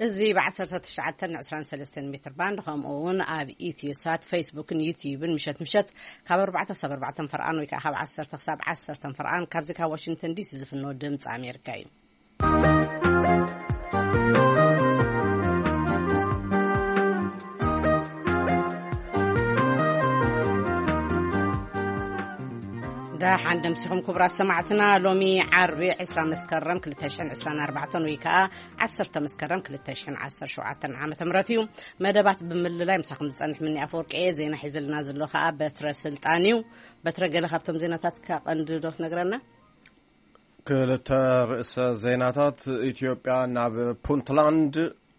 እዚ ብ19 ን23 ሜትር ባንድ፣ ከምኡ እውን ኣብ ኢትዮ ሳት፣ ፌስቡክን ዩቲዩብን ምሸት ምሸት ካብ ኣርባዕተ ክሳብ ኣርባዕተ ፈርቓን ወይ ከዓ ካብ ዓሰርተ ክሳብ ዓሰርተ ፈርቓን፣ ካብዚ ካብ ዋሽንግተን ዲሲ ዝፍኖ ድምፂ ኣሜሪካ እዩ። ደሓን ደምሲኹም ክቡራት ሰማዕትና። ሎሚ ዓርቢ ዕስራ መስከረም ክልተ ሽሕን ዕስራን ኣርባዕተን ወይ ከዓ ዓሰርተ መስከረም ክልተ ሽሕን ዓሰርተ ሸውዓተን ዓመተ ምህረት እዩ። መደባት ብምልላይ ምሳኹም ዝጸንሕ ምኒ ኣፈወርቂ እየ። ዜና ሒዝልና ዘሎ ከዓ በትረ ስልጣን እዩ። በትረ፣ ገለ ካብቶም ዜናታት ከቐንዲ ዶ ትነግረና? ክልተ ርእሰ ዜናታት። ኢትዮጵያ ናብ ፑንትላንድ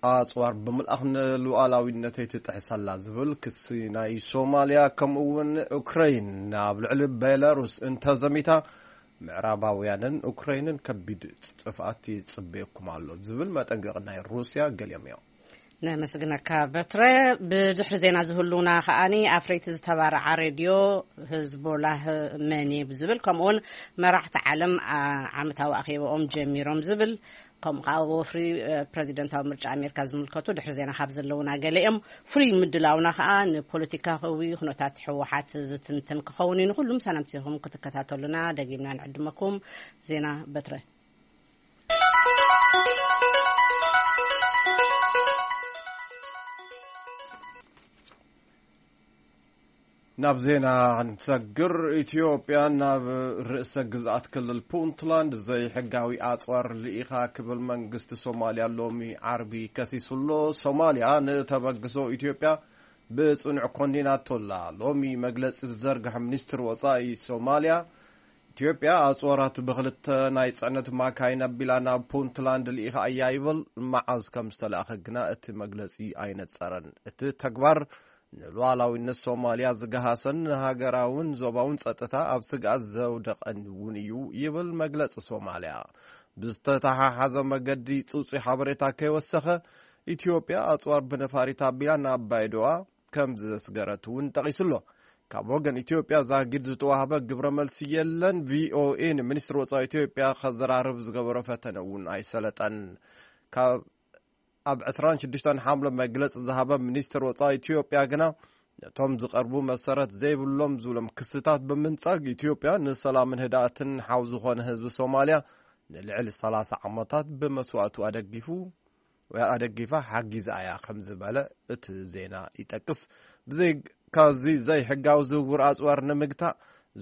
ኣጽዋር ብምልኣኽ ንሉዓላዊነተይ ትጥሕስ ኣላ ዝብል ክሲ ናይ ሶማልያ፣ ከምኡ እውን ኡክረይን ናብ ልዕሊ ቤላሩስ እንተዘሚታ ምዕራባውያንን ኡክረይንን ከቢድ ጥፍኣት ይጽበየኩም ኣሎ ዝብል መጠንቀቒ ናይ ሩስያ ገሊኦም እዮም። ነመስግነካ በትረ። ብድሕሪ ዜና ዝህሉና ከዓኒ ኣፍረይቲ ዝተባረዓ ሬድዮ ህዝቦላህ መን እዩ ብዝብል፣ ከምኡውን መራሕቲ ዓለም ዓ-፣ ዓመታዊ ኣኼባኦም ጀሚሮም ዝብል፣ ከምኡ ከዓ ወፍሪ፣ እ፣ ፕረዚደንታዊ ምርጫ ኣሜሪካ ዝምልከቱ ድሕሪ ዜና ካብ ዘለውና ገለ እዮም። ፍሉይ ምድላውና ከዓ ንፖለቲካዊ ኩነታት ህወሓት ዝትንትን ክኸውን እዩ። ንኩሉ ምሳና ምሲኹም ክትከታተሉና ደጊምና ንዕድመኩም። ዜና በትረ። ናብ ዜና ንሰግር። ኢትዮጵያ ናብ ርእሰ ግዝኣት ክልል ፑንትላንድ ዘይሕጋዊ ኣጽዋር ልኢኻ ክብል መንግስቲ ሶማልያ ሎሚ ዓርቢ ከሲሱ ኣሎ። ሶማልያ ንተበግሶ ኢትዮጵያ ብጽኑዕ ኮኒናቶ ኣላ። ሎሚ መግለጺ ዝዘርግሐ ሚኒስትሪ ወጻኢ ሶማልያ፣ ኢትዮጵያ ኣጽዋራት ብኽልተ ናይ ጽዕነት ማካይን ኣቢላ ናብ ፑንትላንድ ልኢኻ እያ ይብል። መዓዝ ከም ዝተላእኸ ግና እቲ መግለጺ ኣይነጸረን። እቲ ተግባር ንሉዓላዊነት ሶማልያ ዝገሃሰን ንሃገራውን ዞባውን ጸጥታ ኣብ ስግኣት ዘውደቐን እውን እዩ ይብል መግለጺ ሶማልያ። ብዝተተሓሓዘ መገዲ ጽጹይ ሓበሬታ ከይወሰኸ፣ ኢትዮጵያ ኣጽዋር ብነፋሪት ኣቢላ ናብ ባይዶዋ ከም ዘስገረት እውን ጠቒሱ ኣሎ። ካብ ወገን ኢትዮጵያ ዛጊድ ዝተዋህበ ግብረ መልሲ የለን። ቪኦኤ ንሚኒስትሪ ወጻኢ ኢትዮጵያ ከዘራርብ ዝገበሮ ፈተነ እውን ኣይሰለጠን። ካብ ኣብ ዕስራን ሽዱሽተን ሓምለ መግለጺ ዝሃበ ሚኒስትር ወጻኢ ኢትዮጵያ ግና፣ ነቶም ዝቐርቡ መሰረት ዘይብሎም ዝብሎም ክስታት ብምንጻግ፣ ኢትዮጵያ ንሰላምን ህድኣትን ሓው ዝኾነ ህዝቢ ሶማልያ ንልዕሊ ሰላሳ ዓመታት ብመስዋእቱ ኣደጊፉ፣ ኣደጊፋ ሓጊዛ እያ ከም ዝበለ እቲ ዜና ይጠቅስ። ብዘይ-፣ ካብዚ ዘይሕጋዊ ዝውውር ኣጽዋር ንምግታእ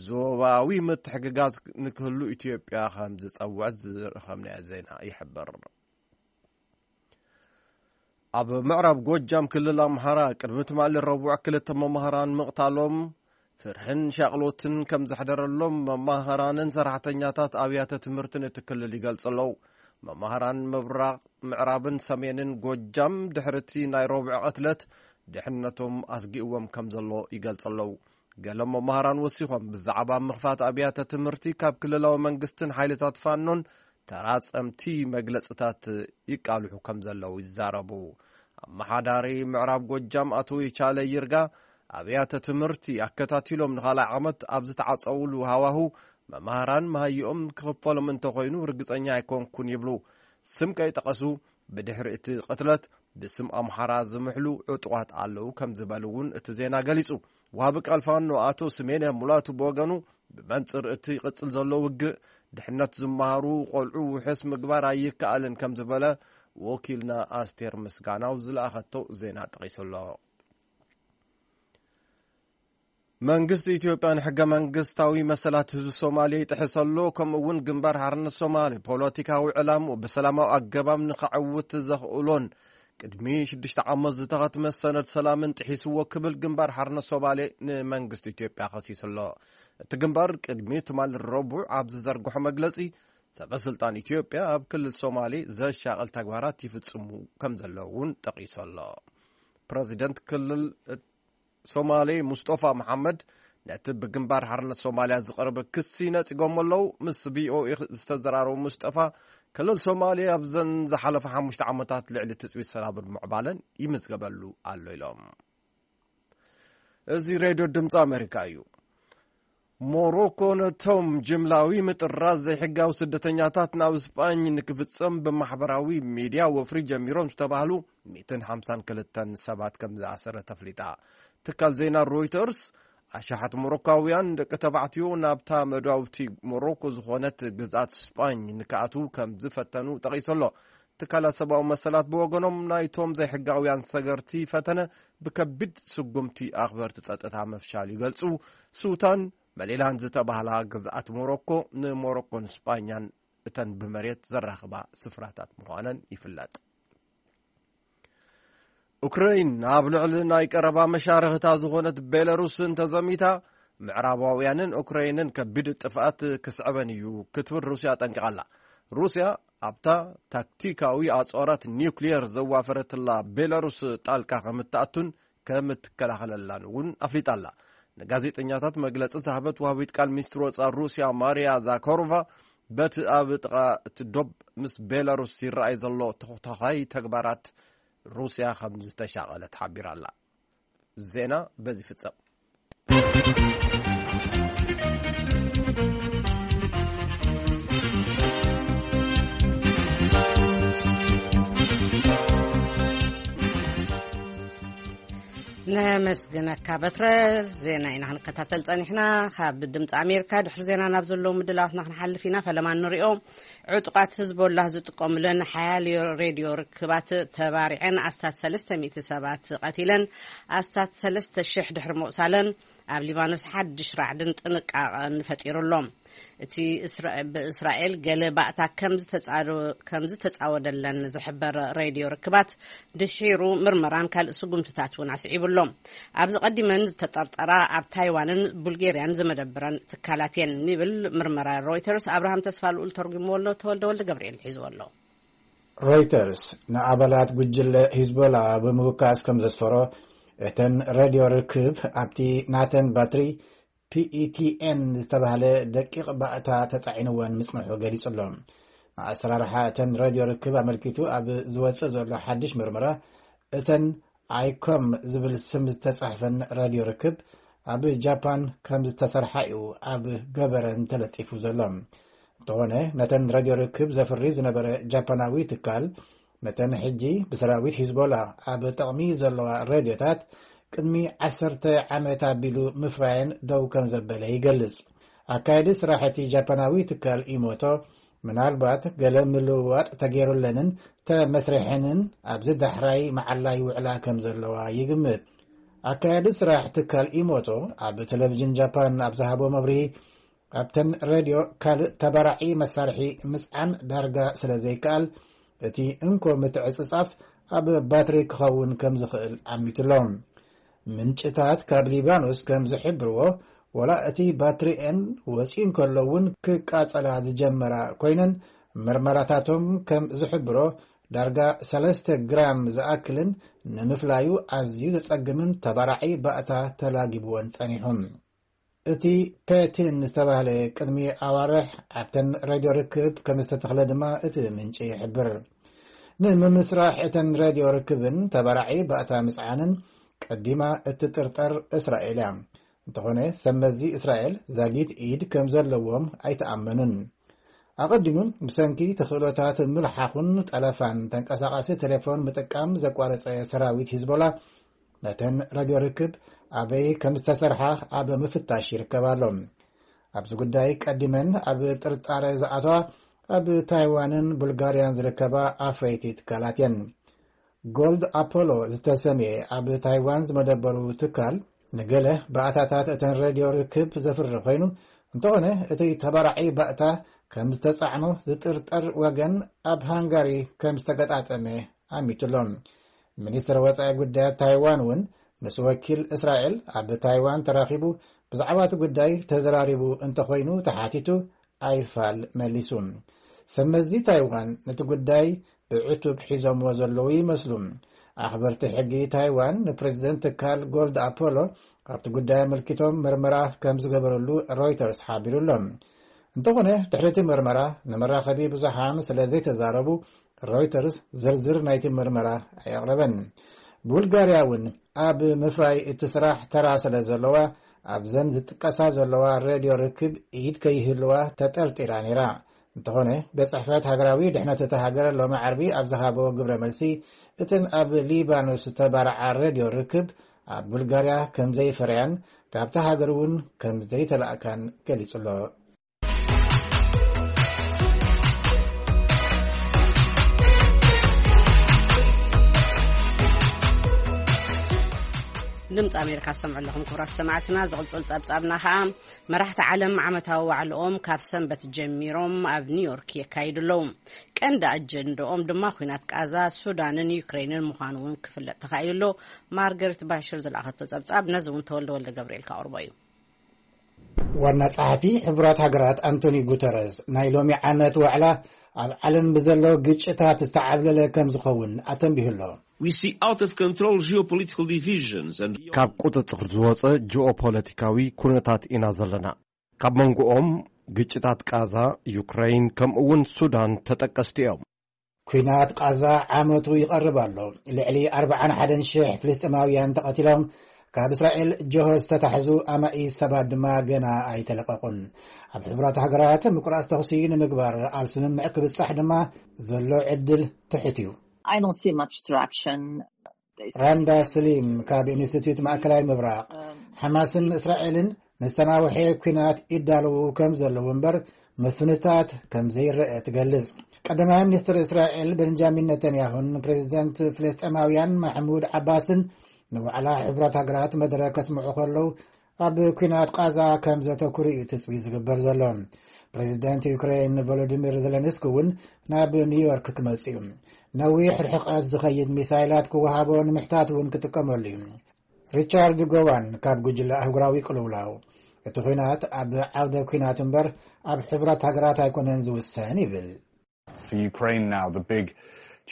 ዞባዊ ምትሕግጋዝ ንክህሉ ኢትዮጵያ ከም ዝጸውዐት ዝረኸብናዮ ዜና ይሕብር። ኣብ ምዕራብ ጎጃም ክልል ኣምሓራ ቅድሚ ትማሊ ረቡዕ ክልተ መማህራን ምቕታሎም ፍርሕን ሻቕሎትን ከም ዘሕደረሎም መማህራንን ሰራሕተኛታት ኣብያተ ትምህርትን እቲ ክልል ይገልጹ ኣለዉ። መማህራን ምብራቕ፣ ምዕራብን ሰሜንን ጎጃም ድሕሪ እቲ ናይ ረቡዕ ቅትለት ድሕነቶም ኣስጊእዎም ከም ዘሎ ይገልጹ ኣለዉ። ገለ መማህራን ወሲኾም ብዛዕባ ምኽፋት ኣብያተ ትምህርቲ ካብ ክልላዊ መንግስትን ሓይልታት ፋኖን ተራጸምቲ መግለጽታት ይቃልሑ ከም ዘለዉ ይዛረቡ። ኣመሓዳሪ ምዕራብ ጎጃም ኣቶ ይቻለ ይርጋ፣ ኣብያተ ትምህርቲ ኣከታቲሎም ንኻልኣይ ዓመት ኣብ ዝተዓጸውሉ ሃዋሁ መማህራን መሃይኦም ክኽፈሎም እንተኾይኑ ርግጸኛ ኣይኮንኩን ይብሉ። ስም ከይጠቐሱ፣ ብድሕሪ እቲ ቅትለት ብስም ኣምሓራ ዝምሕሉ ዕጡቓት ኣለዉ ከም ዝበሉ እውን እቲ ዜና ገሊጹ። ወሃቢ ቃል ፋኖ ኣቶ ስሜነ ሙላቱ ብወገኑ፣ ብመንጽር እቲ ይቕጽል ዘሎ ውግእ፣ ድሕነት ዝመሃሩ ቆልዑ ውሑስ ምግባር ኣይከኣልን ከም ዝበለ ወኪልና ኣስቴር ምስጋናው ዝለኣኸቶ ዜና ጠቒሱ ኣሎ። መንግስቲ ኢትዮጵያ ንሕገ መንግስታዊ መሰላት ህዝቢ ሶማሌ ይጥሕስ ኣሎ፣ ከምኡ እውን ግንባር ሓርነት ሶማሌ ፖለቲካዊ ዕላምኡ ብሰላማዊ ኣገባብ ንኸዕውት ዘኽእሎን ቅድሚ ሽዱሽተ ዓመት ዝተኸትመ ሰነድ ሰላምን ጥሒስዎ ክብል ግንባር ሓርነት ሶማሌ ንመንግስቲ ኢትዮጵያ ከሲሱ ኣሎ። እቲ ግንባር ቅድሚ ትማሊ ረቡዕ ኣብ ዝዘርግሖ መግለጺ፣ ሰበ ስልጣን ኢትዮጵያ ኣብ ክልል ሶማሌ ዘሻቕል ተግባራት ይፍጽሙ ከም ዘለዉ እውን ጠቒሱ ኣሎ። ፕረዚደንት ክልል ሶማሌ ሙስጦፋ መሓመድ ነቲ ብግንባር ሓርነት ሶማልያ ዝቐረበ ክሲ ነጺጎም ኣለዉ። ምስ ቪኦኤ ዝተዘራረቡ ሙስጠፋ፣ ክልል ሶማሌ ኣብዘን ዝሓለፈ ሓሙሽተ ዓመታት ልዕሊ ትጽቢት ሰላምን ምዕባለን ይምዝገበሉ ኣሎ ኢሎም። እዚ ሬድዮ ድምፂ ኣሜሪካ እዩ። ሞሮኮ ነቶም ጅምላዊ ምጥራዝ ዘይሕጋዊ ስደተኛታት ናብ ስጳኝ ንክፍጸም ብማሕበራዊ ሚድያ ወፍሪ ጀሚሮም ዝተባህሉ ሚእትን ሓምሳን ክልተን ሰባት ከም ዝኣሰረ ተፍሊጣ። ትካል ዜና ሮይተርስ ኣሽሓት ሞሮካውያን ደቂ ተባዕትዮ ናብታ መዳውብቲ ሞሮኮ ዝኾነት ግዝኣት ስጳኝ ንክኣትዉ ከም ዝፈተኑ ጠቒሱ ኣሎ። ትካላት ሰብኣዊ መሰላት ብወገኖም ናይቶም ዘይሕጋውያን ሰገርቲ ፈተነ ብከቢድ ስጉምቲ ኣኽበርቲ ጸጥታ ምፍሻል ይገልጹ። ሱታን መሊላን ዝተባህላ ግዝኣት ሞሮኮ ንሞሮኮን ስጳኛን እተን ብመሬት ዘራኽባ ስፍራታት ምዃነን ይፍለጥ። ኡክረይን ኣብ ልዕሊ ናይ ቀረባ መሻርኽታ ዝኾነት ቤላሩስ እንተዘሚታ፣ ምዕራባውያንን ኡክረይንን ከቢድ ጥፍኣት ክስዕበን እዩ ክትብል ሩስያ ኣጠንቂቓ ኣላ። ሩስያ ኣብታ ታክቲካዊ ኣጽዋራት ኒውክሊየር ዘዋፈረትላ ቤላሩስ ጣልቃ ከም እትኣቱን ከም እትከላኸለላን እውን ኣፍሊጣ ኣላ። ንጋዜጠኛታት መግለጺ ዝሃበት ወሃቢት ቃል ሚኒስትሪ ወጻኢ ሩስያ ማርያ ዛካሮቫ፣ በቲ ኣብ ጥቓ እቲ ዶብ ምስ ቤላሩስ ይረኣይ ዘሎ ተኾታዃይ ተግባራት ሩስያ ከም ዝተሻቐለት ሓቢራ ኣላ። ዜና በዚ ይፍጸም። ነመስግነካ በትረ። ዜና ኢና ክንከታተል ጸኒሕና። ካብ ድምፂ ኣሜሪካ ድሕሪ ዜና ናብ ዘለዉ ምድላዋትና ክንሓልፍ ኢና። ፈለማ ንሪኦ። ዕጡቓት ህዝቦላህ ዝጥቀሙለን ሓያል ሬድዮ ርክባት ተባሪዐን ኣስታት ሰለስተ ሚእቲ ሰባት ቀቲለን፣ ኣስታት ሰለስተ ሽሕ ድሕሪ ምቑሳለን ኣብ ሊባኖስ ሓድሽ ራዕድን ጥንቃቐን ፈጢሩ ኣሎ። እቲ እስራ-፣ ብእስራኤል ገለ ባእታ ከም ዝተጻዶ-፣ ከም ዝተጻወደለን ዝሕበር ሬድዮ ርክባት ድሒሩ ምርመራን ካልእ ስጉምትታት እውን ኣስዒቡ ኣሎ። ኣብዚ ቀዲመን ዝተጠርጠራ ኣብ ታይዋንን ቡልጌርያን ዝመደብረን ትካላት እየን ይብል ምርመራ ሮይተርስ። ኣብርሃም ተስፋ ልኡል ተርጉምዎ ኣሎ፣ ተወልደ ወልደ ገብርኤል ሒዝዎ ኣሎ። ሮይተርስ ንኣባላት ጉጅለ ሂዝቦላ ብምውካስ ከም ዘስፈሮ፣ እተን ሬድዮ ርክብ ኣብቲ ናተን ባትሪ ፒኢቲኤን ዝተባህለ ደቂቕ ባእታ ተጻዒንወን ምጽንሑ ገሊጹ ኣሎ። ንኣሰራርሓ እተን ሬድዮ ርክብ ኣመልኪቱ ኣብ ዝወጽእ ዘሎ ሓድሽ ምርመራ፣ እተን ኣይኮም ዝብል ስም ዝተጻሕፈን ሬድዮ ርክብ ኣብ ጃፓን ከም ዝተሰርሓ እዩ ኣብ ገበረን ተለጢፉ ዘሎ። እንተኾነ፣ ነተን ሬድዮ ርክብ ዘፍሪ ዝነበረ ጃፓናዊ ትካል፣ ነተን ሕጂ ብሰራዊት ሂዝቦላ ኣብ ጥቕሚ ዘለዋ ሬድዮታት ቅድሚ ዓሰርተ ዓመት ኣቢሉ ምፍራየን ደው ከም ዘበለ ይገልጽ። ኣካየዲ ስራሕ እቲ ጃፓናዊ ትካል ኢሞቶ፣ ምናልባት ገለ ምልውዋጥ ተገይሩለንን ተመስሪሐንን ኣብዚ ዳሕራይ መዓላ ይውዕላ ከም ዘለዋ ይግምት። ኣካያዲ ስራሕ ትካል ኢሞቶ ኣብ ቴሌቪዥን ጃፓን ኣብ ዝሃቦ መብርሂ፣ ኣብተን ሬድዮ ካልእ ተባራዒ መሳርሒ ምጽዓን ዳርጋ ስለ ዘይከኣል፣ እቲ እንኮ ምትዕጽጻፍ ኣብ ባትሪ ክኸውን ከም ዝኽእል ኣሚቱሎም። ምንጭታት ካብ ሊባኖስ ከም ዝሕብርዎ፣ ወላ እቲ ባትሪኤን ወጺኡ እንከሎ እውን ክቃጸላ ዝጀመራ ኮይነን፣ ምርመራታቶም ከም ዝሕብሮ፣ ዳርጋ ሰለስተ ግራም ዝኣክልን ንምፍላዩ ኣዝዩ ዘጸግምን ተባራዒ ባእታ ተላጊብወን ጸኒሑ። እቲ ፔቲን ዝተባህለ ቅድሚ ኣዋርሕ ኣብተን ሬድዮ ርክብ ከም ዝተተኽለ ድማ እቲ ምንጪ ይሕብር። ንምምስራሕ እተን ሬድዮ ርክብን ተባራዒ ባእታ ምጽዓንን ቀዲማ እትጥርጠር እስራኤል እያ። እንተኾነ፣ ሰብ መዚ እስራኤል ዛጊት ኢድ ከም ዘለዎም ኣይተኣመኑን። ኣቐዲሙ፣ ብሰንኪ ተኽእሎታት ምልሓኹን ጠለፋን ተንቀሳቓሲ ቴሌፎን ምጥቃም ዘቋረጸ ሰራዊት ሂዝቦላ፣ ነተን ሬድዮ ርክብ ኣበይ ከም ዝተሰርሓ ኣብ ምፍታሽ ይርከብ ኣሎ። ኣብዚ ጉዳይ ቀዲመን ኣብ ጥርጣረ ዝኣተዋ ኣብ ታይዋንን ቡልጋርያን ዝርከባ ኣፍረይቲ ትካላት እየን። ጎልድ ኣፖሎ ዝተሰምየ ኣብ ታይዋን ዝመደበሩ ትካል፣ ንገለ ባእታታት እተን ሬድዮ ርክብ ዘፍሪ ኮይኑ፣ እንተኾነ እቲ ተባራዒ ባእታ ከም ዝተጻዕኖ ዝጥርጠር ወገን ኣብ ሃንጋሪ ከም ዝተገጣጠመ ኣሚቱ ኣሎ። ሚኒስትር ወጻኢ ጉዳያት ታይዋን እውን ምስ ወኪል እስራኤል ኣብ ታይዋን ተራኺቡ ብዛዕባ እቲ ጉዳይ ተዘራሪቡ እንተኾይኑ ተሓቲቱ፣ ኣይፋል መሊሱ። ሰብ መዚ ታይዋን ነቲ ጉዳይ ብዕቱብ ሒዞምዎ ዘለዉ ይመስሉ። ኣኽበርቲ ሕጊ ታይዋን ንፕሬዚደንት ትካል ጎልድ ኣፖሎ ኣብቲ ጉዳይ ኣመልኪቶም ምርመራ ከም ዝገበረሉ ሮይተርስ ሓቢሩ ኣሎ። እንተኾነ፣ ድሕሪ እቲ ምርመራ ንመራኸቢ ብዙሓን ስለ ዘይተዛረቡ፣ ሮይተርስ ዝርዝር ናይቲ ምርመራ ኣየቕረበን። ቡልጋርያ እውን ኣብ ምፍራይ እቲ ስራሕ ተራ ስለ ዘለዋ፣ ኣብዘን ዝጥቀሳ ዘለዋ ሬድዮ ርክብ ኢድ ከይህልዋ ተጠርጢራ ነይራ። እንተኾነ፣ ቤት ጽሕፈት ሃገራዊ ድሕነት እታ ሃገር ሎሚ ዓርቢ ኣብ ዝሃቦ ግብረ መልሲ፣ እተን ኣብ ሊባኖስ ዝተባርዓ ሬድዮ ርክብ ኣብ ቡልጋርያ ከም ዘይፈረያን ካብታ ሃገር እውን ከም ዘይተላእካን ገሊጹ ኣሎ። ድምፂ ኣሜሪካ ዝሰምዑ ኣለኹም ክቡራት ሰማዕትና። ዝቕፅል ፀብፃብና ከዓ፣ መራሕቲ ዓለም ዓመታዊ ዋዕልኦም ካብ ሰንበት ጀሚሮም ኣብ ኒውዮርክ የካይዱ ኣለዉ። ቀንዲ ኣጀንድኦም ድማ ኩናት ቃዛ፣ ሱዳንን ዩክሬንን ምዃኑ እውን ክፍለጥ ተኻኢሉ ኣሎ። ማርገሪት ባሽር ዝለኣኸቶ ጸብጻብ፣ ነዚ እውን ተወልደ ወልደ ገብርኤል ካቕርቦ እዩ። ዋና ጸሓፊ ሕቡራት ሃገራት ኣንቶኒ ጉተረዝ፣ ናይ ሎሚ ዓመት ዋዕላ ኣብ ዓለም ብዘሎ ግጭታት ዝተዓብለለ ከም ዝኸውን ኣተንቢሁ ኣሎ። We see out of control geopolitical divisions and ካብ ቁጽጽር ዝወጸ ጂኦፖለቲካዊ ኩነታት ኢና ዘለና። ካብ መንጎኦም ግጭታት ቃዛ፣ ዩክረይን፣ ከምኡ እውን ሱዳን ተጠቀስቲ እዮም። ኲናት ቃዛ ዓመቱ ይቐርብ ኣሎ። ልዕሊ ኣርብዓን ሓደን ሽሕ ፍልስጤማውያን ተቐቲሎም፣ ካብ እስራኤል ጆሆ ዝተታሕዙ ኣማኢት ሰባት ድማ ገና ኣይተለቀቑን። ኣብ ሕቡራት ሃገራት ምቁራጽ ተኹሲ ንምግባር ኣብ ስምምዕ ክብጻሕ ድማ ዘሎ ዕድል ትሑት እዩ። I don't see much traction. ራንዳ ስሊም ካብ ኢንስቲትዩት ማእከላይ ምብራቕ፣ ሓማስን እስራኤልን ንዝተናውሐ ኲናት ይዳለዉ ከም ዘለዉ እምበር፣ ምፍንታት ከም ዘይረአ ትገልጽ። ቀዳማይ ሚኒስትር እስራኤል ቤንጃሚን ነተንያሁን ፕሬዚደንት ፍልስጤማውያን ማሕሙድ ዓባስን ንዋዕላ ሕቡራት ሃገራት መደረ ከስምዑ ከለዉ፣ ኣብ ኲናት ቃዛ ከም ዘተኩሩ እዩ ትጽቢት ዝግበር ዘሎ። ፕሬዚደንት ዩክሬን ቮሎዲሚር ዘለንስኪ እውን ናብ ኒውዮርክ ክመጽእ እዩ። ነዊሕ ርሕቀት ዝኸይድ ሚሳይላት ክወሃቦ ንምሕታት እውን ክጥቀመሉ እዩ። ሪቻርድ ጎዋን ካብ ጉጅለ ኣህጉራዊ ቅልውላው፣ እቲ ኲናት ኣብ ዓውደ ኲናት እምበር ኣብ ሕቡራት ሃገራት ኣይኮነን ዝውሰን ይብል። For Ukraine now, the big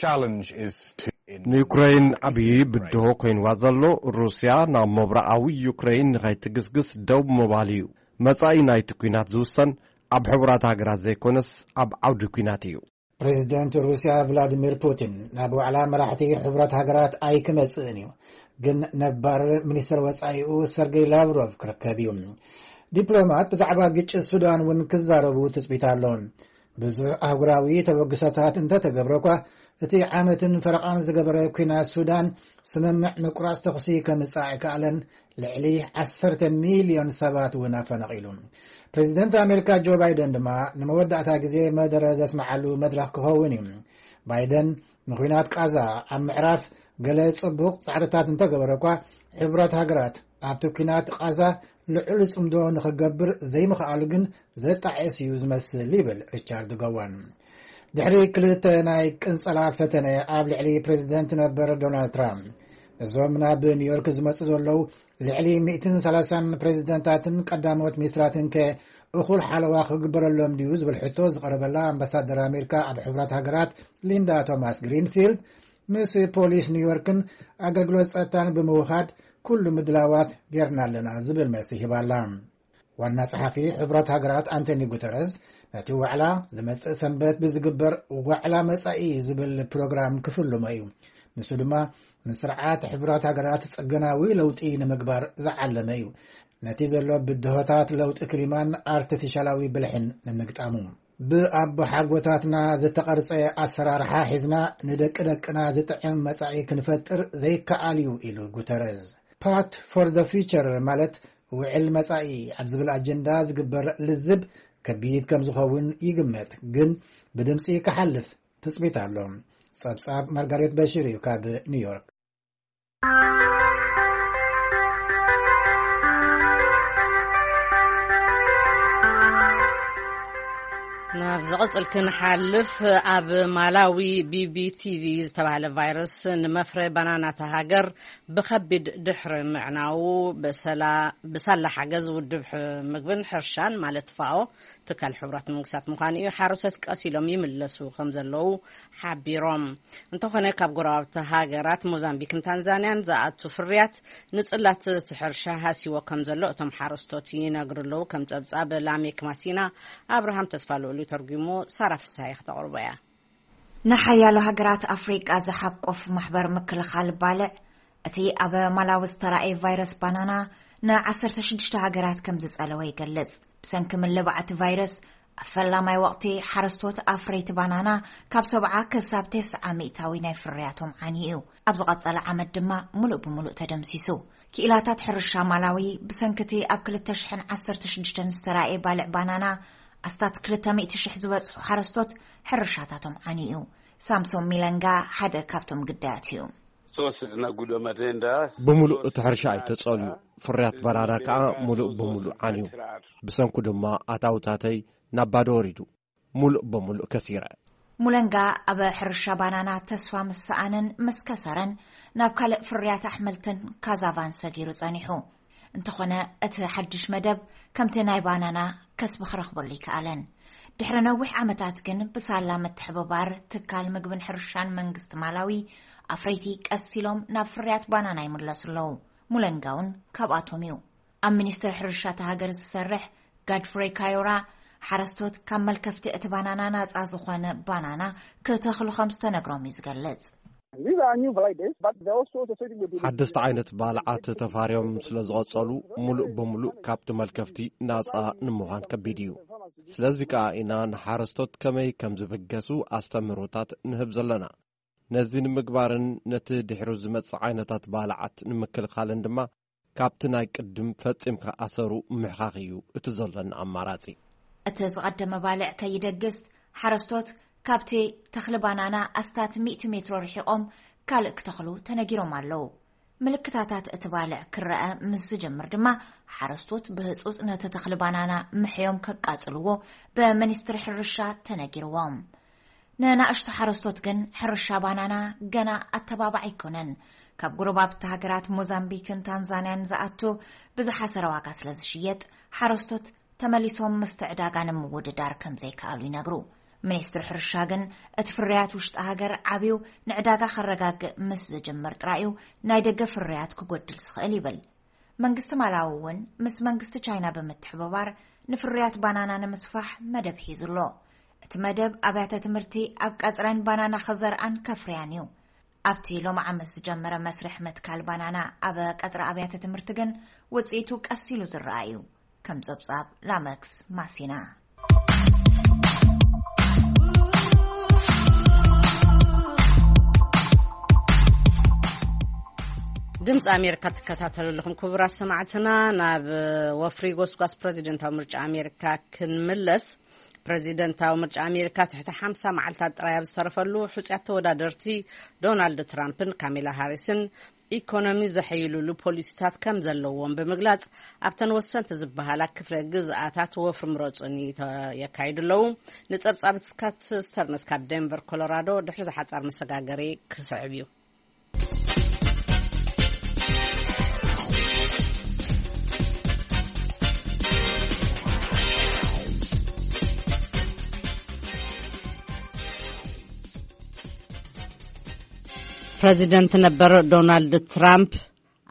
challenge is to ንዩክረይን ዓብዪ ብድሆ ኮይንዋ ዘሎ፣ ሩስያ ናብ ምብራቓዊ ዩክረይን ንኸይትግስግስ ደው ምባል እዩ። መጻኢ ናይቲ ኲናት ዝውሰን ኣብ ሕቡራት ሃገራት ዘይኮነስ ኣብ ዓውዲ ኲናት እዩ። ፕሬዚደንት ሩስያ ቭላዲሚር ፑቲን ናብ ዋዕላ መራሕቲ ሕቡራት ሃገራት ኣይክመጽእን እዩ፣ ግን ነባር ሚኒስትር ወጻኢኡ ሰርጌይ ላቭሮቭ ክርከብ እዩ። ዲፕሎማት ብዛዕባ ግጭት ሱዳን እውን ክዛረቡ ትጽቢት ኣሎ። ብዙሕ ኣህጉራዊ ተበግሶታት እንተተገብረ እኳ፣ እቲ ዓመትን ፈረቓን ዝገበረ ኲናት ሱዳን ስምምዕ ምቁራጽ ተኹሲ ከምጽእ ኣይከኣለን፣ ልዕሊ ዓሰርተ ሚልዮን ሰባት እውን ኣፈናቒሉ። ፕሬዚደንት ኣሜሪካ ጆ ባይደን ድማ ንመወዳእታ ግዜ መደረ ዘስምዓሉ መድረኽ ክኸውን እዩ። ባይደን ንኲናት ቃዛ ኣብ ምዕራፍ ገለ ጽቡቕ ጻዕርታት እንተገበረ እኳ፣ ሕቡራት ሃገራት ኣብቲ ኲናት ቃዛ ልዑል ጽምዶ ንኽገብር ዘይምኽኣሉ ግን ዘጣዕስ እዩ ዝመስል ይብል ሪቻርድ ጎዋን። ድሕሪ ክልተ ናይ ቅንጸላ ፈተነ ኣብ ልዕሊ ፕሬዚደንት ነበር ዶናልድ ትራምፕ፣ እዞም ናብ ኒውዮርክ ዝመጹ ዘለዉ ልዕሊ ሚእትን ሰላሳን ፕሬዚደንታትን ቀዳሞት ሚኒስትራትን ከ እኹል ሓለዋ ክግበረሎም ድዩ ዝብል ሕቶ ዝቐረበላ ኣምባሳደር ኣሜሪካ ኣብ ሕቡራት ሃገራት ሊንዳ ቶማስ ግሪንፊልድ፣ ምስ ፖሊስ ኒውዮርክን ኣገልግሎት ጸጥታን ብምውኻድ ኩሉ ምድላዋት ጌርና ኣለና ዝብል መልሲ ሂባላ። ዋና ጸሓፊ ሕቡራት ሃገራት ኣንቶኒ ጉተረዝ፣ ነቲ ዋዕላ ዝመጽእ ሰንበት ብዝግበር ዋዕላ መጻኢ ዝብል ፕሮግራም ክፍልሞ እዩ። ንሱ ድማ ንስርዓት ሕቡራት ሃገራት ጽገናዊ ለውጢ ንምግባር ዝዓለመ እዩ። ነቲ ዘሎ ብድሆታት ለውጢ ክሊማን ኣርቲፊሻላዊ ብልሕን ንምግጣሙ። ብኣቦሓጎታትና ዝተቐርጸ ኣሰራርሓ ሒዝና ንደቂ ደቅና ዝጥዕም መጻኢ ክንፈጥር ዘይከኣል እዩ ኢሉ ጉተረዝ። ፓክት ፎር ዘ ፊውቸር ማለት ውዕል መጻኢ ኣብ ዝብል ኣጀንዳ ዝግበር ልዝብ ከቢድ ከም ዝኸውን ይግመት፣ ግን ብድምጺ ክሓልፍ ትጽቢት ኣሎ። ጸብጻብ ማርጋሬት በሽር እዩ ካብ ኒውዮርክ። ናብ ዝቕጽል ክንሓልፍ፣ ኣብ ማላዊ ቢቢቲቪ ዝተባህለ ቫይረስ ንመፍረ ባናናታ ሃገር ብኸቢድ ድሕሪ ምዕናዉ፣ ብሰላ-፣ ብሳላ ሓገዝ ውድብ ሕ-፣ ምግብን ሕርሻን ማለት ፋኦ፣ ትካል ሕቡራት መንግስታት ምዃኑ እዩ፣ ሓረስቶት ቀስ ኢሎም ይምለሱ ከም ዘለዉ ሓቢሮም። እንተኾነ፣ ካብ ጎረባብቲ ሃገራት ሞዛምቢክን ታንዛንያን ዝኣቱ ፍርያት ንጽላት እቲ ሕርሻ ሃሲዎ ከም ዘሎ እቶም ሓረስቶት ይነግሩ ኣለዉ። ከም ጸብጻብ ላሜክ ማሲና፣ ኣብርሃም ተስፋ ልኡል እዩ ተርጒሞ፣ ሳራ ፍስሃየ ክተቕርቦ እያ። ንሓያሎ ሃገራት ኣፍሪቃ ዝሓቆፍ ማሕበር ምክልኻል ባልዕ፣ እቲ ኣብ ማላዊ ዝተራእየ ቫይረስ ባናና ንዓሰርተ ሽዱሽተ ሃገራት ከም ዝጸለወ ይገልጽ። ብሰንኪ ምልባዕ እቲ ቫይረስ፣ ኣብ ፈላማይ ወቕቲ ሓረስቶት ኣፍረይቲ ባናና ካብ ሰብዓ ክሳብ ተስዓ ሚእታዊ ናይ ፍርያቶም ዓንዩ እዩ። ኣብ ዝቐጸለ ዓመት ድማ ምሉእ ብምሉእ ተደምሲሱ። ክኢላታት ሕርሻ ማላዊ፣ ብሰንኪ እቲ ኣብ ክልተ ሽሕን ዓሰርተ ሽዱሽተን ዝተራእየ ባልዕ ባናና፣ ኣስታት ክልተ ሚእቲ ሽሕ ዝበጽሑ ሓረስቶት ሕርሻታቶም ዓንዩ እዩ። ሳምሶን ሚለንጋ ሓደ ካብቶም ግዳያት እዩ። Sose zinaguda matenda. ብምሉእ እቲ ሕርሻ እዩ ተጸልዩ። ፍርያት ባናና ከኣ ምሉእ ብምሉእ ዓንዩ። ብሰንኩ ድማ ኣታውታተይ ናብ ባዶ ወሪዱ። ምሉእ ብምሉእ ከሲረ። ሙለንጋ ኣብ ሕርሻ ባናና ተስፋ ምስ ሰኣነን ምስ ከሰረን፣ ናብ ካልእ ፍርያት ኣሕምልትን ካዛቫን ሰጊሩ ጸኒሑ። እንተኾነ፣ እቲ ሓድሽ መደብ ከምቲ ናይ ባናና ከስቢ ክረኽበሉ ይከኣለን። ድሕሪ ነዊሕ ዓመታት ግን፣ ብሳላ ምትሕብባር ትካል ምግብን ሕርሻን መንግስቲ ማላዊ፣ ኣፍረይቲ ቀስ ኢሎም ናብ ፍርያት ባናና ይምለሱ ኣለዉ። ሙለንጋ እውን ካብኣቶም እዩ። ኣብ ሚኒስትሪ ሕርሻ እታ ሃገር ዝሰርሕ ጋድፍሬ ካዮራ፣ ሓረስቶት ካብ መልከፍቲ እቲ ባናና ናጻ ዝኾነ ባናና ክተኽሉ ከም ዝተነግሮም እዩ ዝገልጽ። These are new varieties, but they're also associated with ሓደስቲ ዓይነት ባልዓት ተፋርዮም ስለ ዝቐጸሉ፣ ሙሉእ ብምሉእ ካብቲ መልከፍቲ ናጻ ንምዃን ከቢድ እዩ። ስለዚ ከኣ ኢና ንሓረስቶት ከመይ ከም ዝብገሱ ኣስተምህሮታት ንህብ ዘለና። ነዚ ንምግባርን ነቲ ድሕሩ ዝመጽእ ዓይነታት ባልዓት ንምክልኻልን ድማ፣ ካብቲ ናይ ቅድም ፈጺምካ ኣሰሩ ምሕኻኽ እዩ እቲ ዘሎና ኣማራጺ። እቲ ዝቐደመ ባልዕ ከይደግስ፣ ሓረስቶት ካብቲ ተኽሊ ባናና ኣስታት ሚእቲ ሜትሮ ርሒቖም ካልእ ክተኽሉ ተነጊሮም ኣለዉ። ምልክታታት እቲ ባልዕ ክረኣ ምስ ዝጀምር ድማ፣ ሓረስቶት ብህጹጽ ነቲ ተኽሊ ባናና ምሕዮም ከቃጽልዎ ብሚኒስትሪ ሕርሻ ተነጊርዎም። ንናእሽቱ ሓረስቶት ግን ሕርሻ ባናና ገና ኣተባባዕ ኣይኮነን። ካብ ጎረባብቲ ሃገራት ሞዛምቢክን ታንዛንያን ዝኣቱ ብዝሓሰረ ዋጋ ስለ ዝሽየጥ፣ ሓረስቶት ተመሊሶም ምስቲ ዕዳጋ ንምውድዳር ከም ዘይከኣሉ ይነግሩ። ሚኒስትሪ ሕርሻ ግን፣ እቲ ፍርያት ውሽጢ ሃገር ዓብዩ ንዕዳጋ ከረጋግእ ምስ ዝጅምር ጥራይ እዩ ናይ ደገ ፍርያት ክጎድል ዝኽእል ይብል። መንግስቲ ማላዊ እውን ምስ መንግስቲ ቻይና ብምትሕብባር ንፍርያት ባናና ንምስፋሕ መደብ ሒዙ ኣሎ። እቲ መደብ ኣብያተ ትምህርቲ ኣብ ቀጽረን ባናና ክዘርኣን ከፍርያን እዩ። ኣብቲ ሎሚ ዓመት ዝጀመረ መስርሕ ምትካል ባናና ኣብ ቀጽሪ ኣብያተ ትምህርቲ ግን ውጽኢቱ ቀስ ኢሉ ዝረኣ እዩ። ከም ጸብጻብ ላመክስ ማሲና። ድምፂ ኣሜሪካ ትከታተሉ ኣለኹም ክቡራት ሰማዕትና። ናብ ወፍሪ ጎስጓስ ፕሬዚደንታዊ ምርጫ ኣሜሪካ ክንምለስ። ፕሬዚደንታዊ ምርጫ ኣሜሪካ ትሕቲ ሓምሳ መዓልታት ጥራይ ኣብ ዝተረፈሉ፣ ሕፁያት ተወዳደርቲ ዶናልድ ትራምፕን ካሜላ ሃሪስን ኢኮኖሚ ዘሐይሉሉ ፖሊሲታት ከም ዘለዎም ብምግላፅ፣ ኣብተን ወሰንቲ ዝበሃላ ክፍለ ግዝኣታት ወፍሪ ምረፁኒ የካይዱ ኣለዉ። ንፀብፃብ ስካት ስተርንስ ካብ ዴንቨር ኮሎራዶ ድሕሪ ዝሓፃር መሰጋገሪ ክስዕብ እዩ። ፕረዚደንት ነበር ዶናልድ ትራምፕ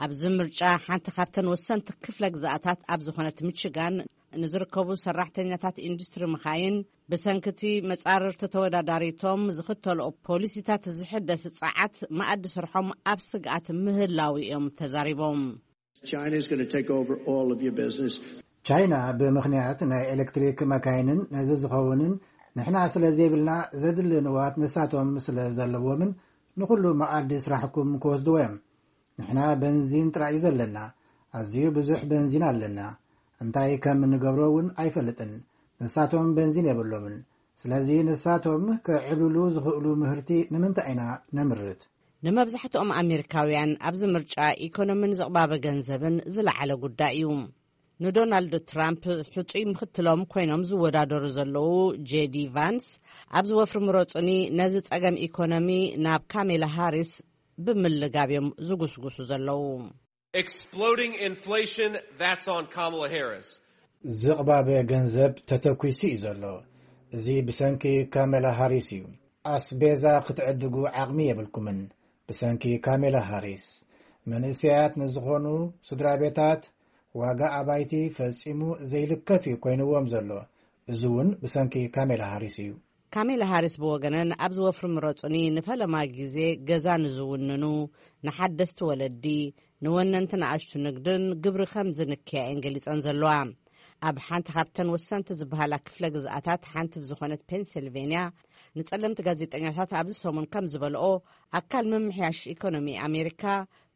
ኣብዚ ምርጫ ሓንቲ ካብተን ወሰንቲ ክፍለ ግዝኣታት ኣብ ዝኾነት ሚችጋን ንዝርከቡ ሰራሕተኛታት ኢንዱስትሪ መኻይን ብሰንኪ እቲ መጻርርቲ ተወዳዳሪቶም ዝኽተልኦ ፖሊሲታት ዝሕደስ ጸዓት መኣዲ ስርሖም ኣብ ስግኣት ምህላው እዮም ተዛሪቦም። China is going to take over all of your business. ቻይና ብምኽንያት ናይ ኤሌክትሪክ መካይንን ነዚ ዝኸውንን ንሕና ስለ ዘይብልና ዘድሊ ንዋት ንሳቶም ስለ ዘለዎምን ንኹሉ መኣዲ ስራሕኩም ክወስድዎ እዮም። ንሕና በንዚን ጥራይ እዩ ዘለና። ኣዝዩ ብዙሕ በንዚን ኣለና። እንታይ ከም እንገብሮ እውን ኣይፈልጥን። ንሳቶም በንዚን የብሎምን። ስለዚ ንሳቶም ክዕብልሉ ዝኽእሉ ምህርቲ ንምንታይ ኢና ነምርት? ንመብዛሕትኦም ኣሜሪካውያን ኣብዚ ምርጫ ኢኮኖምን ዝቕባበ ገንዘብን ዝለዓለ ጉዳይ እዩ። ንዶናልድ ትራምፕ ሕጹይ ምኽትሎም ኮይኖም ዝወዳደሩ ዘለዉ ጄዲ ቫንስ ኣብዚ ወፍሪ ምረጹኒ ነዚ ጸገም ኢኮኖሚ ናብ ካሜላ ሃሪስ ብምልጋብ እዮም ዝጉስጉሱ ዘለዉ። Exploding inflation, that's on Kamala Harris. ዝቕባበ ገንዘብ ተተኲሱ እዩ ዘሎ። እዚ ብሰንኪ ካሜላ ሃሪስ እዩ። ኣስቤዛ ክትዕድጉ ዓቕሚ የብልኩምን። ብሰንኪ ካሜላ ሃሪስ መንእሰያት ንዝኾኑ ስድራ ቤታት ዋጋ ኣባይቲ ፈጺሙ ዘይልከፍ እዩ ኮይንዎም ዘሎ። እዚ እውን ብሰንኪ ካሜላ ሃሪስ እዩ። ካሜላ ሃሪስ ብወገነን፣ ኣብዚ ወፍሪ ምረጹኒ ንፈለማ ግዜ ገዛ ንዝውንኑ፣ ንሓደስቲ ወለዲ፣ ንወነንቲ ንኣሽቱ ንግድን ግብሪ ከም ዝንክያ እየን ገሊጸን ዘለዋ። ኣብ ሓንቲ ካብተን ወሰንቲ ዝበሃላ ክፍለ ግዝኣታት ሓንቲ ብዝኾነት ፔንሲልቬንያ፣ ንጸለምቲ ጋዜጠኛታት ኣብዚ ሰሙን ከም ዝበልኦ፣ ኣካል ምምሕያሽ ኢኮኖሚ ኣሜሪካ፣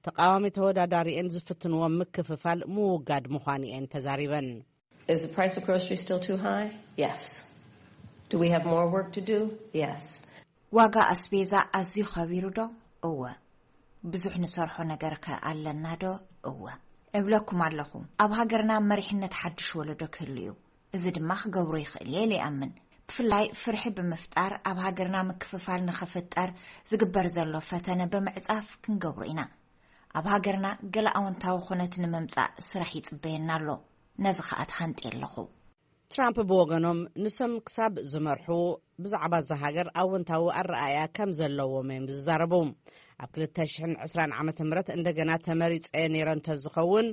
ተቃዋሚ ተወዳዳሪኤን ዝፍትንዎም ምክፍፋል ምውጋድ ምዃኑ እየን ተዛሪበን። Is the price of groceries still too high? Yes. Do we have more work to do? Yes. ዋጋ ኣስቤዛ ኣዝዩ ኸቢሩ ዶ? እወ። ብዙሕ ንሰርሖ ነገር ከ ኣለና ዶ? እወ። እብለኩም ኣለኹ፣ ኣብ ሃገርና መሪሕነት ሓድሽ ወለዶ ክህሉ እዩ። እዚ ድማ ክገብሮ ይኽእል እየ ኢለ ይኣምን። ብፍላይ ፍርሒ ብምፍጣር ኣብ ሃገርና ምክፍፋል ንኽፍጠር ዝግበር ዘሎ ፈተነ ብምዕጻፍ ክንገብሮ ኢና። ኣብ ሃገርና ገለ ኣወንታዊ ኩነት ንምምጻእ ስራሕ ይጽበየና ኣሎ። ነዚ ኸኣ ተሃንጥየ ኣለኹ። ትራምፕ ብወገኖም፣ ንሶም ክሳብ ዝመርሑ ብዛዕባ እዛ ሃገር ኣወንታዊ ኣረኣእያ ከም ዘለዎም እዮም ዝዛረቡ። ኣብ ክልተ ሽሕን ዕስራን ዓመተ ምህረት እንደገና ተመሪጸ ነይረ እንተዝኸውን፣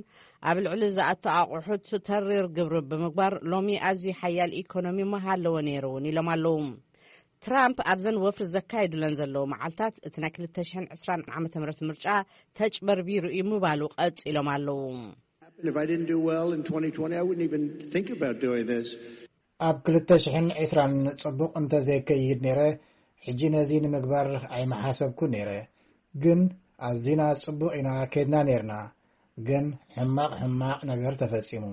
ኣብ ልዕሊ ዝኣቱ ኣቑሑት ተሪር ግብሪ ብምግባር፣ ሎሚ ኣዝዩ ሓያል ኢኮኖሚ ምሃለወ ነይሩ እውን ኢሎም ኣለዉ። ትራምፕ ኣብዘን ወፍሪ ዘካየዱለን ዘለዉ መዓልታት፣ እቲ ናይ ክልተ ሽሕን ዕስራን ዓመተ ምህረት ምርጫ ተጭበርቢሩ እዩ ምባሉ ቀጺሎም ኣለዉ። If I didn't do well in twenty twenty, I wouldn't even think about doing this. ኣብ ክልተ ሽሕን ዕስራን ጽቡቕ እንተዘይከይድ ነይረ፣ ሕጂ ነዚ ንምግባር ኣይመሓሰብኩ ነይረ። ግን ኣዚና ጽቡቕ ኢና ከይድና ነይርና። ግን ሕማቕ ሕማቕ ነገር ተፈጺሙ።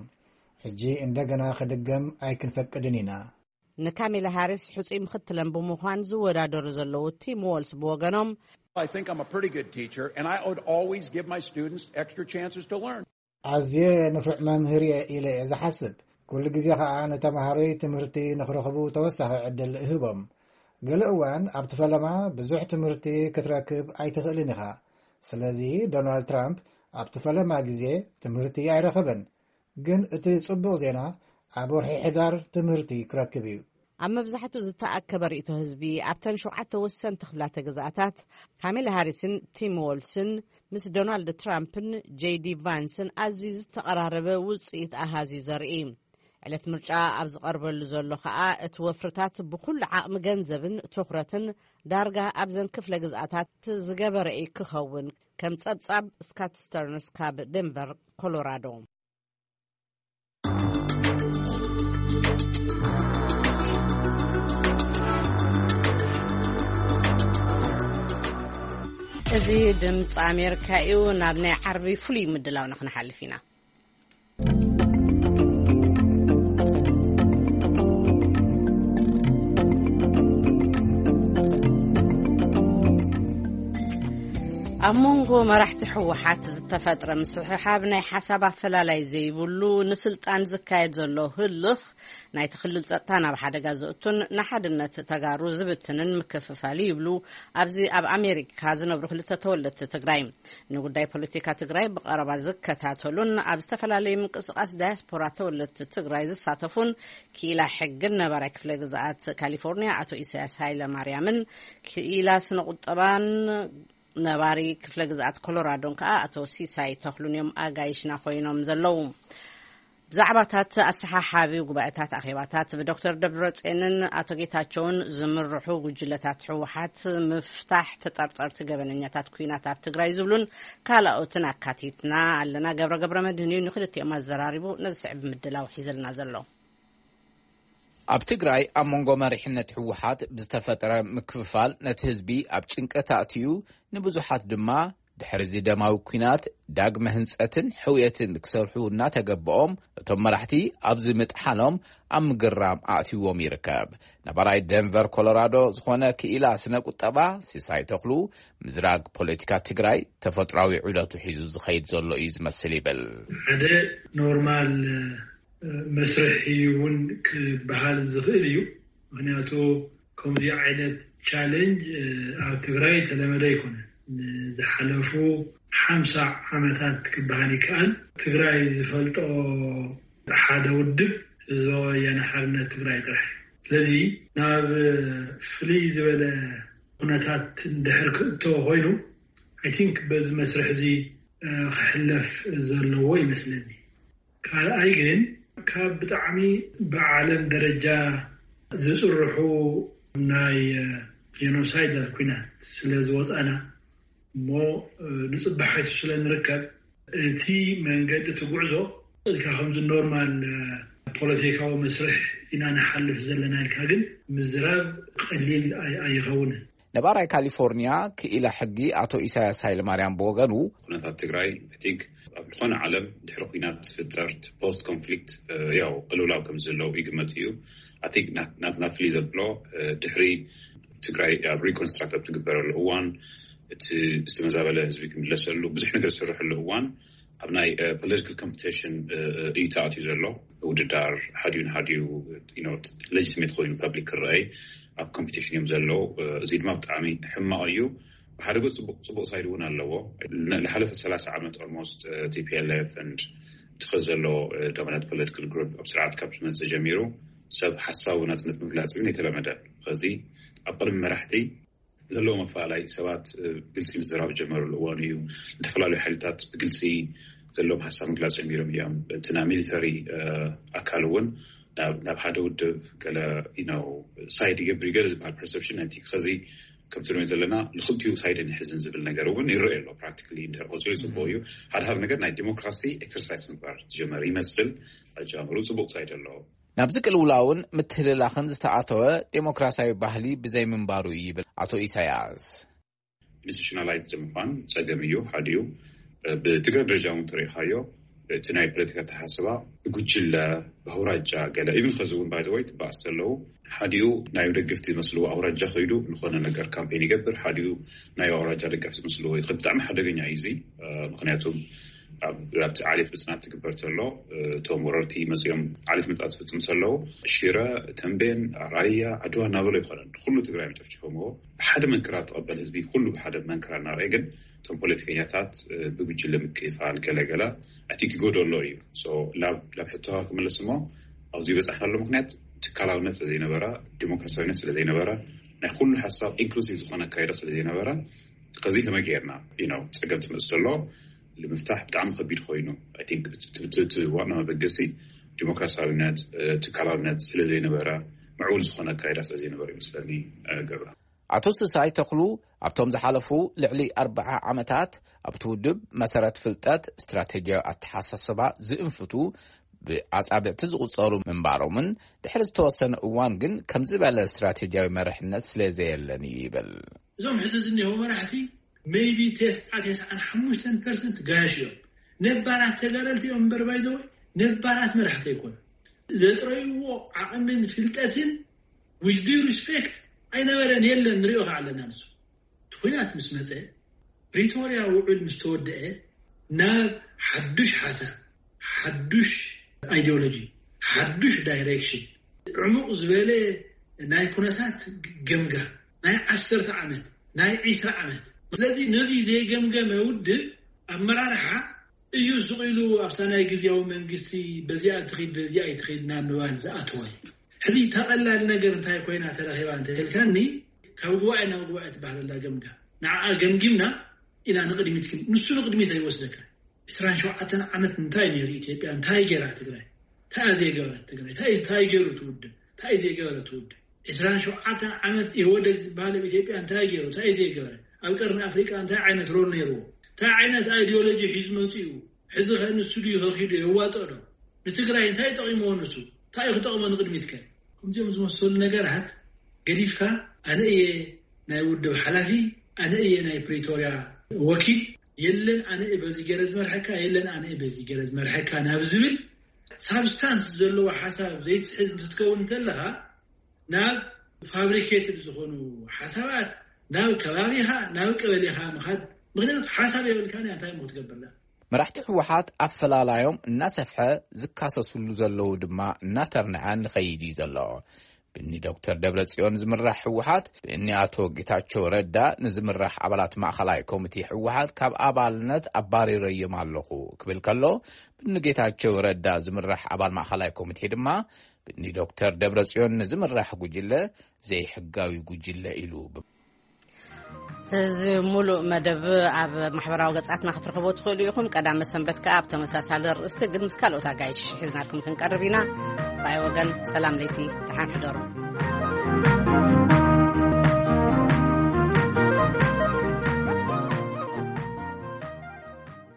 ሕጂ እንደገና ክድገም ኣይክንፈቅድን ኢና። ንካሜላ ሃሪስ ሕጹይ ምኽትለን ብምዃን ዝወዳደሩ ዘለዉ ቲም ዎልስ ብወገኖም፣ I think I'm a pretty good teacher, and I would always give my students extra chances to learn. ኣዝየ ንፉዕ መምህር እየ ኢለ እየ ዝሓስብ። ኩሉ ግዜ ኸኣ ንተምሃሮይ ትምህርቲ ንኽረኽቡ ተወሳኺ ዕድል እህቦም። ገለ እዋን ኣብቲ ፈለማ ብዙሕ ትምህርቲ ክትረክብ ኣይትኽእልን ኢኻ። ስለዚ ዶናልድ ትራምፕ ኣብቲ ፈለማ ግዜ ትምህርቲ ኣይረኸበን። ግን እቲ ጽቡቕ ዜና ኣብ ወርሒ ሕዳር ትምህርቲ ክረክብ እዩ። ኣብ መብዛሕትኡ ዝተኣከበ ርእይቶ ህዝቢ ኣብተን ሸውዓተ ወሰንቲ ክፍላተ ግዝኣታት፣ ካሜላ ሃሪስን ቲም ዎልስን ምስ ዶናልድ ትራምፕን ጄዲ ቫንስን ኣዝዩ ዝተቐራረበ ውጽኢት ኣሃዝዩ ዘርኢ። ዕለት ምርጫ ኣብ ዝቐርበሉ ዘሎ ኸኣ፣ እቲ ወፍርታት ብኹሉ ዓቕሚ ገንዘብን ትኹረትን ዳርጋ ኣብዘን ክፍለ ግዝኣታት ዝገበረ እዩ ክኸውን። ከም ጸብጻብ ስካት ስተርንስ ካብ ደንቨር ኮሎራዶ። እዚ ድምፂ ኣሜሪካ እዩ። ናብ ናይ ዓርቢ ፍሉይ ምድላው ንክንሓልፍ ኢና። ኣብ መንጎ መራሕቲ ህወሓት ዝተፈጥረ ምስሕሓብ ናይ ሓሳብ ኣፈላላይ ዘይብሉ፣ ንስልጣን ዝካየድ ዘሎ ህልኽ ናይቲ ክልል ጸጥታ ናብ ሓደጋ ዘእቱን ንሓድነት ተጋሩ ዝብትንን ምክፍፋል እዩ ይብሉ ኣብዚ ኣብ ኣሜሪካ ዝነብሩ ክልተ ተወለድቲ ትግራይ። ንጉዳይ ፖለቲካ ትግራይ ብቐረባ ዝከታተሉን ኣብ ዝተፈላለዩ ምንቅስቓስ ዳያስፖራ ተወለድቲ ትግራይ ዝሳተፉን ክኢላ ሕግን ነባራይ ክፍለ ግዝኣት ካሊፎርኒያ ኣቶ ኢሳያስ ሃይለ ማርያምን ክኢላ ስነ ቁጠባን ነባሪ ክፍለ ግዝኣት ኮሎራዶን ከኣ ኣቶ ሲሳይ ተኽሉን እዮም ኣጋይሽና ኮይኖም ዘለዉ። ብዛዕባታት ኣሰሓሓቢ ጉባኤታት ኣኼባታት ብዶክተር ደብረጽዮንን ኣቶ ጌታቸውን ዝምርሑ ጉጅለታት ህወሓት፣ ምፍታሕ ተጠርጠርቲ ገበነኛታት ኩናት ኣብ ትግራይ ዝብሉን ካልኦትን ኣካቲትና ኣለና። ገብረ ገብረ መድህን እዩ ንክልቲኦም ኣዘራሪቡ ነዚ ስዕብ ምድላው ሒዘልና ዘሎ። ኣብ ትግራይ ኣብ መንጎ መሪሕነት ህወሓት ብዝተፈጠረ ምክፍፋል ነቲ ህዝቢ ኣብ ጭንቀት ኣእትዩ፣ ንብዙሓት ድማ ድሕሪ እዚ ደማዊ ኲናት ዳግመ ህንጸትን ሕውየትን ክሰርሑ እናተገበኦም፣ እቶም መራሕቲ ኣብዚ ምጥሓኖም ኣብ ምግራም ኣእትይዎም ይርከብ። ነባራይ ደንቨር ኮሎራዶ ዝኾነ ክኢላ ስነ ቁጠባ ሲሳይ ተኽሉ፣ ምዝራግ ፖለቲካ ትግራይ ተፈጥሯዊ ዑደቱ ሒዙ ዝኸይድ ዘሎ እዩ ዝመስል ይብል። ሓደ ኖርማል መስርሕ እዩ እውን ክበሃል ዝኽእል እዩ። ምክንያቱ ከምዚ ዓይነት ቻለንጅ ኣብ ትግራይ ተለመደ ኣይኮነን። ንዝሓለፉ ሓምሳ ዓመታት ክበሃል ይከኣል። ትግራይ ዝፈልጦ ሓደ ውድብ ህዝባዊ ወያነ ሓርነት ትግራይ ጥራሕ እዩ። ስለዚ ናብ ፍልይ ዝበለ ኩነታት እንድሕር ክእተወ ኮይኑ፣ ኣይ ቲንክ በዚ መስርሕ እዚ ክሕለፍ ዘለዎ ይመስለኒ። ካልኣይ ግን ካብ ብጣዕሚ ብዓለም ደረጃ ዝፅርሑ ናይ ጀኖሳይድ ኩናት ስለ ዝወፃና እሞ ንፅባሕ ሓይቱ ስለ ንርከብ እቲ መንገዲ እቲ ጉዕዞ ኢልካ ከምዚ ኖርማል ፖለቲካዊ መስርሕ ኢና ንሓልፍ ዘለና ኢልካ ግን ምዝራብ ቀሊል ኣይኸውንን። ነባራይ ካሊፎርኒያ ክኢላ ሕጊ ኣቶ ኢሳያስ ሃይለማርያም ብወገኑ፣ ኩነታት ትግራይ ቲንክ ኣብ ዝኾነ ዓለም ድሕሪ ኩናት ዝፍጠር ፖስት ኮንፍሊክት ያው ቅልውላው ከም ዘለዉ ይግመት እዩ። ኣቲ ናትና ፍሊ ዘብሎ ድሕሪ ትግራይ ኣብ ሪኮንስትራክት ኣብ ትግበረሉ እዋን እቲ ዝተመዛበለ ህዝቢ ክምለሰሉ ብዙሕ ነገር ዝስርሐሉ እዋን ኣብ ናይ ፖለቲካል ኮምፒቲሽን እዩ ተኣትዩ ዘሎ። ውድዳር ሓዲዩ ንሓዲዩ ሌጅትሜት ኮይኑ ፐብሊክ ክረኣይ ኣብ ኮምፒቲሽን እዮም ዘለዉ። እዚ ድማ ብጣዕሚ ሕማቕ እዩ። ብሓደ ገፅ ፅቡቅ ሳይድ እውን ኣለዎ። ንሓለፈ ሰላሳ ዓመት ኦልሞስት ቲፒኤልኤፍ ንድ ትኸ ዘሎ ዶሚናንት ፖለቲካል ግሩፕ ኣብ ስርዓት ካብ ዝመፅእ ጀሚሩ ሰብ ሓሳቡ ናፅነት ምግላፅ ግን የተለመደ። ከዚ ኣብ ቅድሚ መራሕቲ ዘለዎ መፈላለይ ሰባት ግልፂ ምዝራብ ዝጀመረሉ እዋን እዩ። ዝተፈላለዩ ሓይልታት ብግልፂ ዘለዎም ሓሳብ ምግላፅ ጀሚሮም እዮም። እቲ ናይ ሚሊተሪ ኣካል እውን ናብ ሓደ ውድብ ገለ ሳይድ ይገብር ይገለ ዝበሃል ፐርሰፕሽን ነቲ ከዚ ከምቲ ንሪኦ ዘለና ንክልቲኡ ሳይድ ንሕዝን ዝብል ነገር እውን ይረአ ኣሎ። ፕራክቲካሊ እንድሕር ቆፂሩ ፅቡቅ እዩ። ሓደ ሓደ ነገር ናይ ዲሞክራሲ ኤክሰርሳይዝ ምግባር ዝጀመረ ይመስል። ኣጀማምሩ ፅቡቅ ሳይድ ኣለዎ። ናብዚ ቅልውላውን ምትህልላኽን ዝተኣተወ ዴሞክራሲያዊ ባህሊ ብዘይምንባሩ እዩ ይብል ኣቶ ኢሳያስ። ኢንስቲቱሽናላይዝ ምኳን ፀገም እዩ። ሓዲኡ ብትግራይ ደረጃ እውን ተሪኢኻዮ እቲ ናይ ፖለቲካ ኣተሓሳስባ ብጉጅለ ብኣውራጃ ገለ ኢቭን ከዚ እውን ባይዘወይ ትባእስ ዘለዉ ሓዲኡ ናይ ደገፍቲ ዝመስልዎ ኣውራጃ ከይዱ ዝኾነ ነገር ካምፔን ይገብር። ሓዲኡ ናይ ኣውራጃ ደገፍቲ ዝመስልዎ ይኸድ። ብጣዕሚ ሓደገኛ እዩ እዚ። ምክንያቱ ኣብቲ ዓሌት ምፅናት ትግበር ተሎ እቶም ወረርቲ መፂኦም ዓሌት ምፅናት ዝፍፅም ተለዉ ሽረ፣ ተንቤን፣ ራያ፣ ዓድዋ እናበሎ ይኮነን ኩሉ ትግራይ መጨፍጭፎምዎ። ብሓደ መንክራ ትቐበል ህዝቢ ኩሉ ብሓደ መንክራ እናርአ ግን እቶም ፖለቲከኛታት ብጉጅለ ምክፋል ገለገለ ኣቲ ክጎደሎ እዩ። ናብ ሕቶ ክመለስ እሞ ኣብዚ በፃሕናሉ ምክንያት ትካላውነት ስለዘይነበረ፣ ዲሞክራሲያዊነት ስለዘይነበረ፣ ናይ ኩሉ ሓሳብ ኢንክሉሲቭ ዝኾነ ኣካይዳ ስለዘይነበረ ከዚ ከመይ ገይርና ነው ፀገም ትመፅእ ተሎ ንምፍታሕ ብጣዕሚ ከቢድ ኮይኑ። ዋና መበገሲ ዲሞክራሲያዊነት ትካላውነት ስለዘይነበረ፣ ምዕቡል ዝኾነ ኣካይዳ ስለዘይነበረ ይመስለኒ። ገብረ ኣቶ ስሳይ ተኽሉ ኣብቶም ዝሓለፉ ልዕሊ ኣርባዓ ዓመታት ኣብቲ ውድብ መሰረት ፍልጠት ስትራቴጂያዊ ኣተሓሳስባ ዝእንፍቱ ብኣጻብዕቲ ዝቑጸሩ ምንባሮምን ድሕሪ ዝተወሰነ እዋን ግን ከምዚ ዝበለ ስትራቴጂያዊ መርሕነት ስለ ዘየለን እዩ ይብል። እዞም ሕዚ ዝኒሀው መራሕቲ ሜይቢ ተስዓ ተስዓን ሓሙሽተን ፐርሰንት ጋያሽ እዮም። ነባራት ተጋደልቲ እዮም እምበር ባይዘወ ነባራት መራሕቲ ኣይኮኑ። ዘጥረይዎ ዓቕምን ፍልጠትን with due respect ኣይነበረን የለን ንሪኦ ከዓ ኣለና። ንሱ እቲ ኩናት ምስ መፀ ፕሪቶርያ ውዕል ምስ ተወደአ ናብ ሓዱሽ ሓሳብ ሓዱሽ ኣይዲዮሎጂ ሓዱሽ ዳይሬክሽን ዕሙቕ ዝበለ ናይ ኩነታት ገምጋ ናይ ዓሰርተ ዓመት ናይ ዒስራ ዓመት ስለዚ ነዚ ዘይገምገመ ውድብ ኣመራርሓ እዩ ስቕ ኢሉ ኣብታ ናይ ግዝያዊ መንግስቲ በዚኣ ትኺድ በዚኣ ኣይትኺድ ናብ ምባል ዝኣተወ እዩ። ሕዚ እታ ቀላል ነገር እንታይ ኮይና ተረኺባ እንተልካኒ ካብ ጉባኤ ናብ ጉባኤ ትበሃል ኣላ ገምጋ ንዓኣ ገምጊምና ኢና ንቕድሚት ግን ንሱ ንቕድሚት ኣይወስደካ። ዕስራን ሸውዓተን ዓመት እንታይ ነይሩ ኢትዮጵያ እንታይ ገይራ ትግራይ እንታይ ዘይገበረት ትግራይ እንታይ ገይሩ ትውድብ እንታይ ዘይገበረ ትውድብ ዕስራን ሸውዓተን ዓመት ኢህወደግ ዝበሃል ኣብ ኢትዮጵያ እንታይ ገይሩ እንታይ ዘይገበረ ኣብ ቀርኒ ኣፍሪቃ እንታይ ዓይነት ሮል ነይርዎ እንታይ ዓይነት ኣይዲዮሎጂ ሒዙ መፂኡ ሕዚ ከ ንሱ ድዩ ከኺዱ የዋጥኦ ዶ ንትግራይ እንታይ ጠቂምዎ ንሱ እንታይ ክጠቅሞ ንቅድሚት ከ ከምዚኦም ዝመሰሉ ነገራት ገዲፍካ ኣነ እየ ናይ ውድብ ሓላፊ ኣነ እየ ናይ ፕሪቶርያ ወኪል የለን ኣነ እየ በዚ ገይረ ዝመርሐካ የለን ኣነ እየ በዚ ገይረ ዝመርሐካ ናብ ዝብል ሳብስታንስ ዘለዎ ሓሳብ ዘይትሕዝ እንትትከውን እንተለካ ናብ ፋብሪኬትድ ዝኾኑ ሓሳባት ናብ ከባቢኻ ናብ ቀበሌኻ ምኻድ ምክንያቱ ሓሳብ የብልካ እንታይ ክትገብርና መራሕቲ ህወሓት ኣፈላላዮም እናሰፍሐ ዝካሰስሉ ዘለዉ ድማ እናተርንዐ ንኸይድ እዩ ዘሎ። ብኒ ዶክተር ደብረፅዮን ዝምራሕ ህወሓት ብእኒ ኣቶ ጌታቸው ረዳ ንዝምራሕ ኣባላት ማእኸላይ ኮሚቴ ህወሓት ካብ ኣባልነት ኣባሪረዮም ኣለኹ ክብል ከሎ ብኒ ጌታቸው ረዳ ዝምራሕ ኣባል ማእኸላይ ኮሚቴ ድማ ብኒ ዶክተር ደብረፅዮን ንዝምራሕ ጉጅለ ዘይሕጋዊ ጉጅለ ኢሉ። እዚ ሙሉእ መደብ ኣብ ማሕበራዊ ገጻትና ክትረኽቦ ትኽእሉ ኢኹም። ቀዳመ ሰንበት ከኣ ኣብ ተመሳሳሊ ርእስቲ ግን ምስ ካልኦት ኣጋይሽ ሒዝናልኩም ክንቀርብ ኢና። ባይ ወገን ሰላም ለይቲ ደሓን ሕደሩ።